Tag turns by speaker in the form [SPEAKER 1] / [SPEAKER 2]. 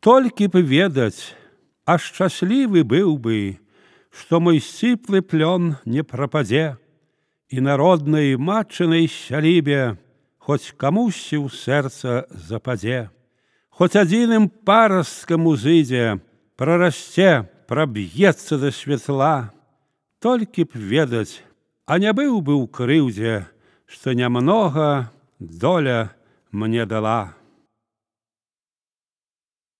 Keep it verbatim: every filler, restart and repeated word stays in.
[SPEAKER 1] Толькі б ведаць, а шчаслівы быў бы, што мой сціплы плён не прападзе, і народнай матчынай сялібе хоць камусьці ў сэрца западзе, хоць адзіным парасткам узыдзе, прарасце, праб'ецца да святла. Толькі б ведаць, а не быў бы ў крыўдзе, што нямнога доля мне дала.